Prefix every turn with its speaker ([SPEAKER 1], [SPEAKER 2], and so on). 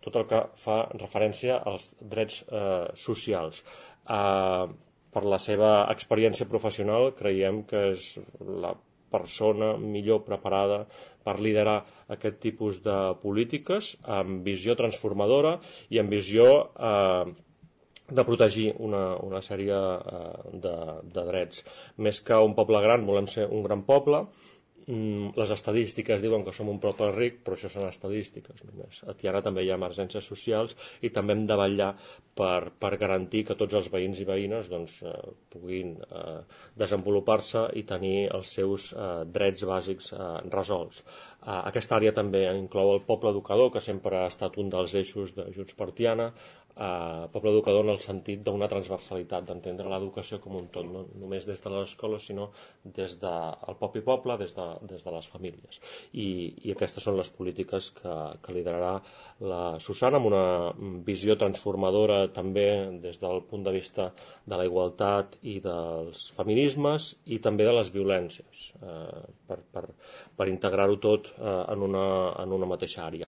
[SPEAKER 1] tot el que fa referència als drets socials. Per la seva experiència professional creiem que és la persona millor preparada per liderar aquest tipus de polítiques amb visió transformadora i amb visió de protegir una sèrie de drets. Més que un poble gran, volem ser un gran poble. Les estadístiques diuen que som un poble ric, però això són estadístiques només. Aquí ara també hi ha emergències socials i també hem de vetllar per garantir que tots els veïns i veïnes puguin desenvolupar-se i tenir els seus drets bàsics resolts. Aquesta àrea també inclou el poble educador, que sempre ha estat un dels eixos de Junts per Tiana, poble educador en el sentit d'una transversalitat, d'entendre l'educació com un tot, no només des de les escoles, sinó des del propi poble, des de les famílies. I aquestes són les polítiques que liderarà la Susana, amb una visió transformadora també des del punt de vista de la igualtat i dels feminismes i també de les violències, per integrar-ho tot en una mateixa àrea.